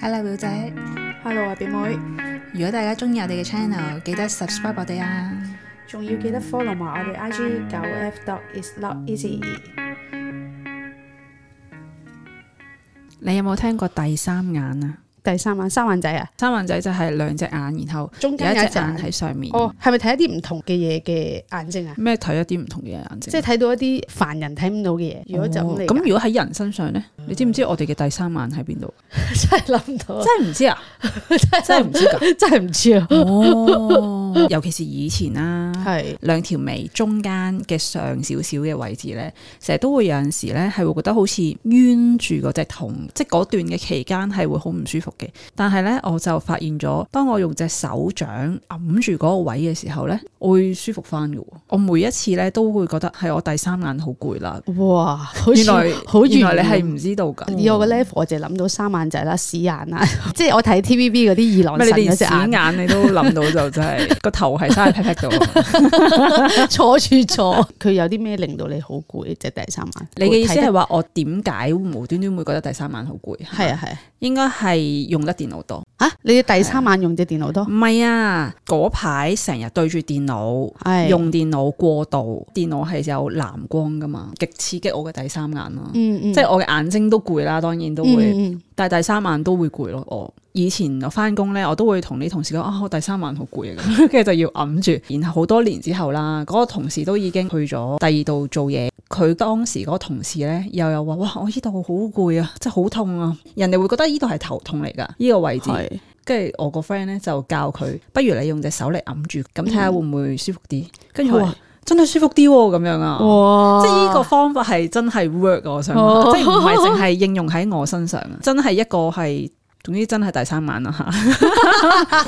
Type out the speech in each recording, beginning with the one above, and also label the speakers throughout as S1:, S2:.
S1: Hello 表姐
S2: Hello 啊表妹，
S1: 如果大家中意我哋嘅 channel，記得 subscribe 我哋啊！
S2: 仲要記得 follow 埋我哋 IG 9F dot is not easy。
S1: 你有冇聽過第三眼啊？
S2: 第三眼三眼仔啊，
S1: 三眼仔就係兩隻眼，然後
S2: 中間有一隻
S1: 有一隻眼喺上面。
S2: 哦，係咪睇一啲唔同嘅嘢嘅眼睛啊？
S1: 咩睇一啲唔同嘅眼睛？
S2: 即係睇到一啲凡人睇唔到嘅嘢。如果就咁嚟，
S1: 咁如果喺人身上呢？你知唔知我哋嘅第三眼喺邊度？
S2: 真係諗唔到，
S1: 真係唔知啊！真係唔知㗎，
S2: 真係唔知啊！
S1: 哦，尤其是以前啦，
S2: 係
S1: 兩條眉中間嘅上少少嘅位置咧，成日都會有陣時咧係會覺得好似冤住嗰隻痛，即係嗰段嘅期間係會好唔舒服嘅。但係咧，我就發現咗，當我用隻手掌揞住嗰個位嘅時候咧，我會舒服翻嘅。我每一次咧都會覺得係我第三眼好攰啦。
S2: 哇，好似
S1: 原來
S2: 好
S1: 原來
S2: 遠
S1: 你係唔知道㗎。
S2: 以我個 level，我就諗到三眼仔啦、屎眼啦，即係我睇 TVB 嗰啲二郎
S1: 咩？
S2: 神
S1: 你連
S2: 嗰隻眼，
S1: 屎眼你都諗到就真係個頭係生喺 pat pat 度。
S2: 坐住坐。佢有啲咩令到你好攰？即係第三眼。
S1: 你嘅意思係話我點解無端端會覺得第三眼好攰？
S2: 係啊係啊。
S1: 應該係用得電腦多。
S2: 啊！你嘅第三眼用隻電腦多？
S1: 唔係啊，嗰排成日對住電腦，
S2: 係
S1: 用電腦過度，電腦係有藍光噶嘛，極刺激我嘅第三眼啦。即係我嘅眼睛都攰啦，當然都會，但係第三眼都會攰咯。我以前我翻工咧，我都會同啲同事講啊，我第三眼好攰啊，咁跟住就要揞住。然後好多年之後啦，嗰個同事都已經去咗第二度做嘢。佢當時嗰個同事咧，又有話：哇，我呢度好攰啊，真係好痛啊！人哋會覺得呢度係頭痛嚟㗎，呢個位置。跟住我個 friend 咧就教佢，不如你用隻手嚟揞住，咁睇下會唔會舒服啲。跟住佢話真係舒服啲喎，咁樣啊！哇！即係呢個方法係真係 work， 我想話，即係唔係淨係應用喺我身上啊，真係一個係，總之真係第三眼啦嚇。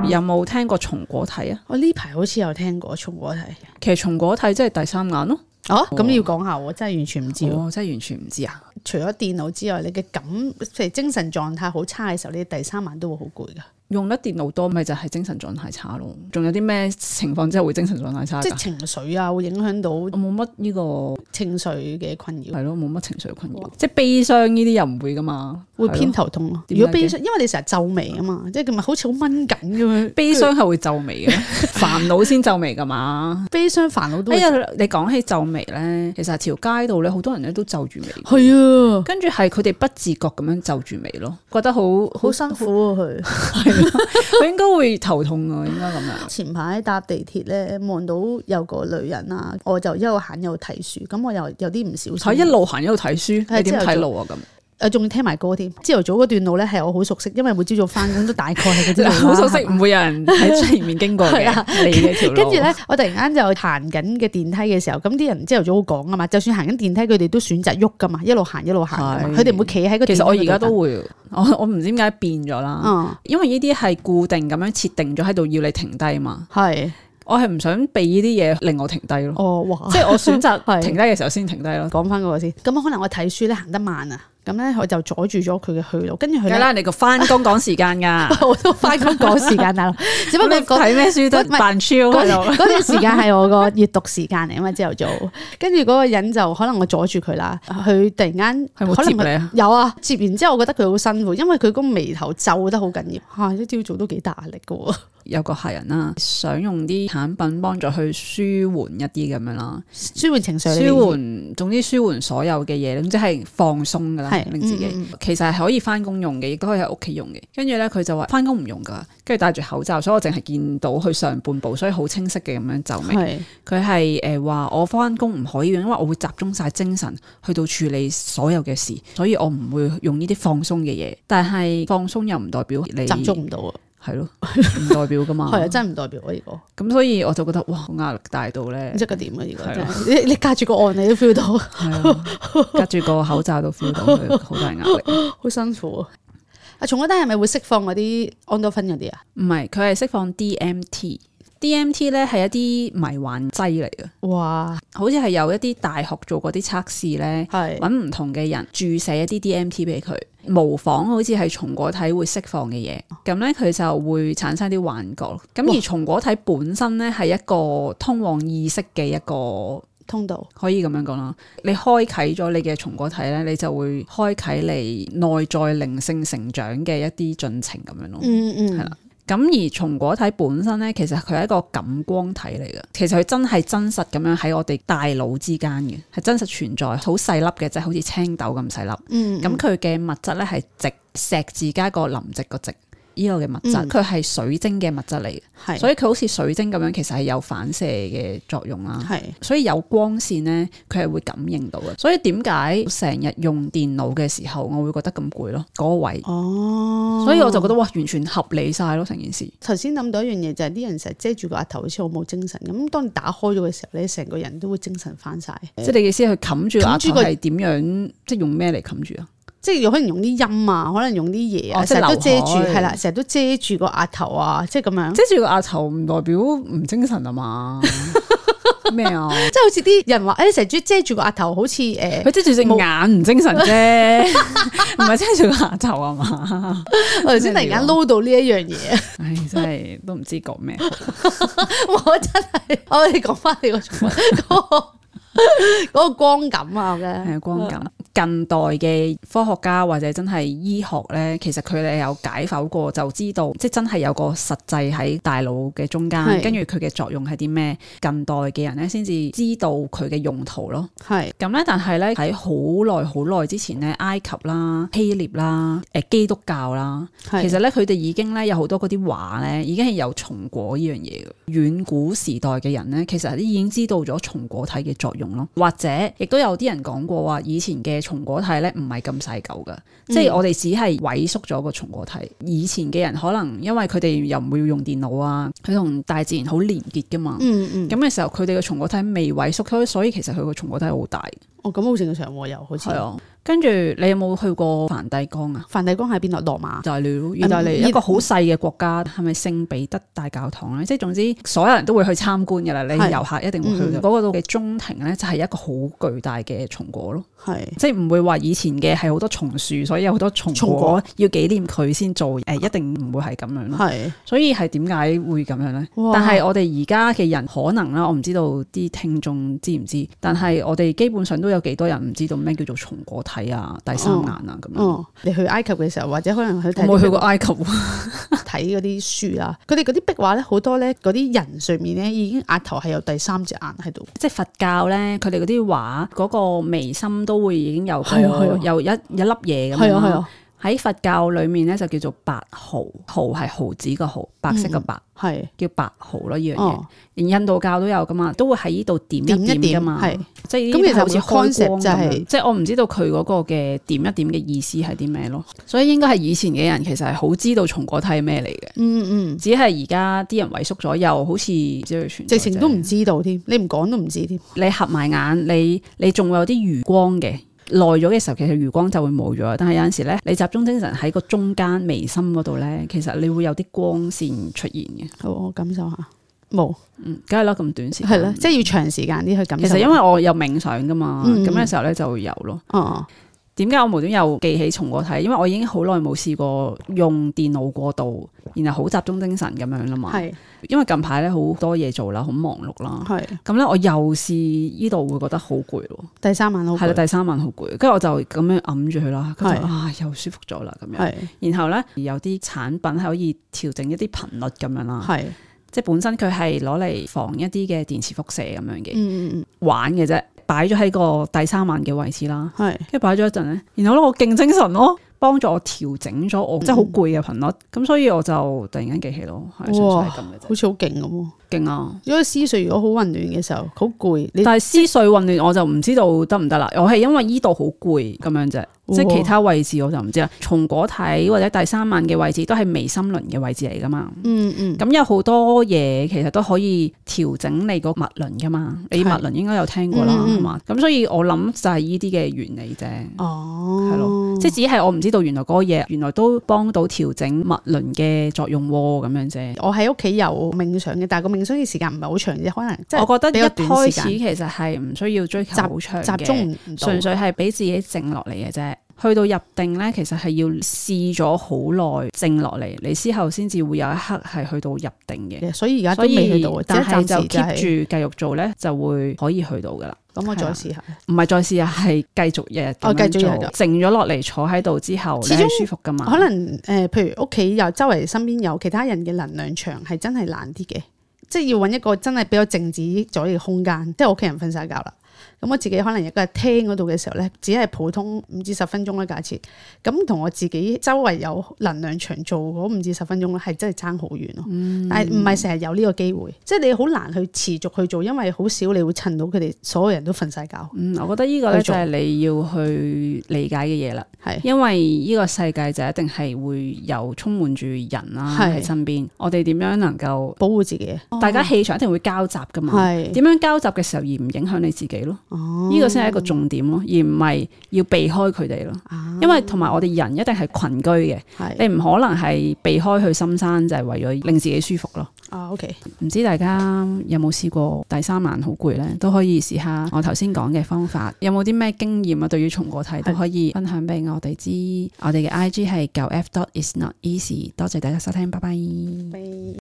S1: 有冇聽過松果體啊？
S2: 我呢排好似有聽過松果體。
S1: 其實松果體即係第三眼咯。
S2: 哦，咁你要講下喎，真係完全唔知喎。
S1: 哦，真係完全唔知啊！
S2: 除咗電腦之外，你嘅譬如精神狀態好差嘅時候，你第三眼都會好攰噶。
S1: 用得電腦多咪就係精神狀態差咯。仲有啲咩情況之後會精神狀態差？
S2: 即係情緒啊，會影響到
S1: 我冇乜呢個
S2: 情緒嘅困擾。
S1: 係咯，冇乜情緒困擾。即係悲傷呢啲又唔會噶嘛，
S2: 會偏頭痛咯。如果悲傷，因為你成日皺眉啊嘛，即係咪好似好蚊緊咁樣。
S1: 悲傷係會皺眉嘅，煩惱先皺眉噶嘛。
S2: 悲傷煩惱都。
S1: 哎呀，你講起皺眉咧，其實條街度咧好多人咧都皺住眉。
S2: 係啊，跟
S1: 住係佢哋不自覺咁樣皺住眉咯，覺得好
S2: 辛苦啊佢。
S1: 佢應該會頭痛啊，應該咁樣。
S2: 前排搭地鐵咧，望到有個女人啊，我就一路行一路睇書，咁我又有啲唔小心。
S1: 一路行一路睇書，你點睇路啊咁？
S2: 仲要聽埋歌添。朝頭早嗰段路咧係我好熟悉，因為每朝早翻工都大概係嗰啲路。
S1: 好熟悉，唔會有人喺前面經過嘅。你嘅條路。
S2: 跟住咧，我突然間就行緊嘅電梯嘅時候，咁啲人朝頭早好講啊嘛，就算行緊電梯，佢哋都選擇喐噶嘛，一路行一路行噶嘛，佢哋唔會企喺個電梯。
S1: 其實我而家都會，我唔知點解變咗啦。因為呢啲係固定咁樣設定咗喺度，要你停低嘛。係。我係唔想俾呢啲嘢令我停低咯。哦，哇！即係我選擇停低嘅時候先停低咯。
S2: 講翻嗰個先。咁可能我睇書咧行得慢啊。咁咧，我就阻住咗佢嘅去路，跟住佢咧，
S1: 啦，你個翻工趕時間㗎，
S2: 我都翻工趕時間大佬，只不過
S1: 睇咩書都扮超喺度。
S2: 嗰段時間係我個閱讀時間嚟啊嘛，朝頭早。跟住嗰個人就可能我阻住佢啦，佢突然間
S1: 係冇接你啊？
S2: 有啊，接完之後我覺得佢好辛苦，因為佢個眉頭皺得好緊要嚇，一朝早都幾大壓力㗎喎。
S1: 有個客人啦，想用啲產品幫助去舒緩一啲咁樣啦，
S2: 舒緩情緒，
S1: 總之舒緩所有嘅嘢，總之係放鬆噶啦，令自己。其實係可以翻工用嘅，亦都可以喺屋企用嘅。跟住咧，佢就話翻工唔用噶，跟住戴住口罩，所以我淨係見到佢上半部，所以好清晰嘅咁樣皺眉。佢係話我翻工唔可以用，因為我會集中晒精神去到處理所有嘅事，所以我唔會用呢啲放鬆嘅嘢。但係放鬆又唔代表你
S2: 集中唔到啊。
S1: 係咯，唔代表噶嘛。
S2: 係啊，真係唔代表啊呢個。咁
S1: 所以我就覺得哇，好壓力大到咧。
S2: 即係點啊？呢個真係你隔住個案你都 feel 到，
S1: 隔住個口罩都 feel 到佢好大壓力，
S2: 好辛苦啊！松果體係咪會釋放嗰啲安多芬嗰啲啊？
S1: 唔係，佢係釋放 DMT。DMT 咧係一啲迷幻劑嚟嘅。哇！好似係有一啲大學做過啲測試咧，揾唔同嘅人注射一啲 DMT 俾佢。模仿好似係松果體會釋放嘅嘢，咁咧佢就會產生啲幻覺。咁而松果體本身咧係一個通往意識嘅一個
S2: 通道，可
S1: 以咁樣講啦。你開啟咗你嘅松果體咧，你就會開啟你內在靈性成長嘅一啲進程咁樣咯。係啦。咁而松果體本身咧，其實佢係一個感光體嚟嘅。其實佢真係真實咁樣喺我哋大腦之間嘅，係真實存在，好細粒嘅，即係好似青豆咁細粒。咁佢嘅物質咧係直石字加個林夕個夕。呢個嘅物質，佢係水晶嘅物質嚟嘅，所以佢好似水晶咁樣，其實係有反射嘅作用啦。所以有光線咧，佢係會感應到嘅。所以點解成日用電腦嘅時候，我會覺得咁攰咯？嗰個位，所以我就覺得哇，完全合理晒咯成件事。
S2: 頭先諗到一樣嘢就係啲人成日遮住個額頭，好似好冇精神咁。當你打開咗嘅時候咧，成個人都會精神翻晒。
S1: 即係你嘅意思係冚住額頭係點樣？即係用咩嚟冚住啊？
S2: 即係可能用啲音啊，可能用啲嘢啊，成日都遮住，係啦，成日都遮住個額頭啊，即係咁樣。遮住個額頭唔代表唔精神啊嘛？咩啊？即係好似啲人話，成日遮住個額頭，好似佢遮住隻眼唔精神啫，唔係遮住個額頭啊嘛？我頭先突然間撈到呢一樣嘢，
S1: 唉，真係都唔知講咩。
S2: 我真係，我哋講翻你嗰個光感啊，
S1: 係光感。近代嘅科學家或者真係醫學咧，其實佢哋有解剖過，就知道即係真係有個實際喺大腦嘅中間，跟住佢嘅作用係啲咩？近代嘅人咧先至知道佢嘅用途咯。係咁咧，但係咧喺好耐之前咧，埃及啦、希臘啦、基督教啦，其實咧佢哋已經咧有好多嗰啲畫咧，已經係有松果呢樣嘢嘅。遠古時代嘅人咧，其實已經知道咗松果體嘅作用咯，或者亦都有啲人講過話，以前嘅松果體咧唔係咁細嚿噶，即係我哋只係萎縮咗個松果體。以前嘅人可能因為佢哋又唔會用電腦啊，佢同大自然好連結噶嘛。咁嘅時候佢哋嘅松果體未萎縮，所以其實佢個松果體好大。咁好正常喎，又好似係啊。跟住你有冇去過梵蒂岡啊？梵蒂岡喺邊度？羅馬。就係意大利一個好細嘅國家，係咪聖彼得大教堂咧？即係總之所有人都會去參觀噶啦，你遊客一定會去。嗰個度嘅中庭咧就係一個好巨大嘅松果咯。即係唔會話以前嘅係好多松樹，所以有好多松果要紀念佢先做。一定唔會係咁樣咯。所以係點解會咁樣咧？但係我哋而家嘅人可能啦，我唔知道啲聽眾知唔知，但係我哋基本上都有幾多人唔知道咩叫做松果體啊、第三眼啊咁樣。你去埃及嘅時候，或者可能去睇，我冇去過埃及睇嗰啲書啊，佢哋嗰啲壁畫咧，好多咧嗰啲人上面咧已經額頭係有第三隻眼喺度。即係佛教咧，佢哋嗰啲畫嗰個眉心都會已經有有一粒嘢咁樣。喺佛教裏面咧就叫做白毫，毫係毫子個毫，白色個白，叫白毫咯，呢樣嘢。連印度教都有噶嘛，都會喺呢度點一點噶嘛，即係咁其實好似開光咁，即係我唔知道佢嗰個嘅點一點嘅意思係啲咩咯。所以應該係以前嘅人其實係好知道松果體係咩嚟嘅，只係而家啲人萎縮咗，又好似直情都唔知道添，你唔講都唔知添。你合埋眼，你仲會有啲餘光嘅。耐咗嘅時候，其實餘光就會冇咗。但係有陣時咧，你集中精神喺個中間眉心嗰度咧，其實你會有啲光線出現嘅。好，我感受下。冇，梗係啦，咁短時間係啦，即係要長時間啲去感受。其實因為我有冥想噶嘛，咁嘅時候咧就會有咯。點解我無端又記起松果體？因為我已經好耐冇試過用電腦過度，然後好集中精神咁樣啦嘛。因為近排咧好多嘢做啦，好忙碌啦。咁咧我又試呢度會覺得好攰咯。第三晚好攰。係啦，第三晚好攰，跟住我就咁樣揞住佢啦。又舒服咗啦咁樣。然後咧有啲產品係可以調整一啲頻率咁樣啦。即係本身佢係攞嚟防一啲嘅電磁輻射咁樣嘅，玩嘅啫。擺咗喺個第三眼嘅位置啦，跟住擺咗一陣咧，然後咧我勁精神咯，幫助我調整咗我即係好攰嘅頻率，咁所以我就突然間記起咯，係純粹係咁嘅啫，好似好勁咁，勁啊！如果思緒如果好混亂嘅時候，好攰，但係思緒混亂我就唔知道得唔得啦，我係因為依度好攰咁樣啫。即係其他位置我就唔知啦，松果體或者第三眼嘅位置都係眉心輪嘅位置嚟噶嘛。咁有好多嘢其實都可以調整你個脈輪噶嘛。你脈輪應該有聽過啦，係嘛？咁所以我諗就係呢啲嘅原理啫。係咯，即係只係我唔知道原來嗰個嘢原來都幫到調整脈輪嘅作用咁樣啫。我喺屋企有冥想嘅，但係個冥想嘅時間唔係好長啫，可能即係我覺得一開始其實係唔需要追求好長嘅，集中唔到，純粹係俾自己靜落嚟嘅啫。去到入定咧，其實係要試咗好耐靜落嚟，你之後先至會有一刻係去到入定嘅。
S2: 所以而家都未去到，
S1: 但係就 keep 住繼續做咧，就會可以去到噶啦。
S2: 咁我再試下，
S1: 唔係再試下，係繼續日日咁樣做，靜咗落嚟坐喺度之後，你係舒服噶嘛？
S2: 可能譬如屋企又周圍身邊有其他人嘅能量場，係真係難啲嘅，即係要揾一個真係比較靜止咗嘅空間，即係屋企人瞓晒覺啦。咁我自己可能一個廳嗰度嘅時候咧，只係普通5至10分鐘啦，假設咁同我自己周圍有能量場做嗰5至10分鐘咧，係真係爭好遠咯。但係唔係成日有呢個機會，即係你好難去持續去做，因為好少你會趁到佢哋所有人都瞓晒覺。我
S1: 覺得呢個咧就係你要去理解嘅嘢啦。係因為呢個世界就一定係會有充滿住人啦喺身邊，我哋點樣能夠
S2: 保護自己？大
S1: 家氣場一定會交集噶嘛。係點樣交集嘅時候而唔影響你自己咯？呢個先係一個重點咯，而唔係要避開佢哋咯。因為同埋我哋人一定係群居嘅，你唔可能係避開去深山就係為咗令自己舒服咯。
S2: OK，
S1: 唔知大家有冇試過第3晚好攰咧？都可以試下我頭先講嘅方法。有冇啲咩經驗啊？對於松果體都可以分享俾我哋知。我哋嘅 IG 係9f.isnoteasy。多謝大家收聽，拜拜。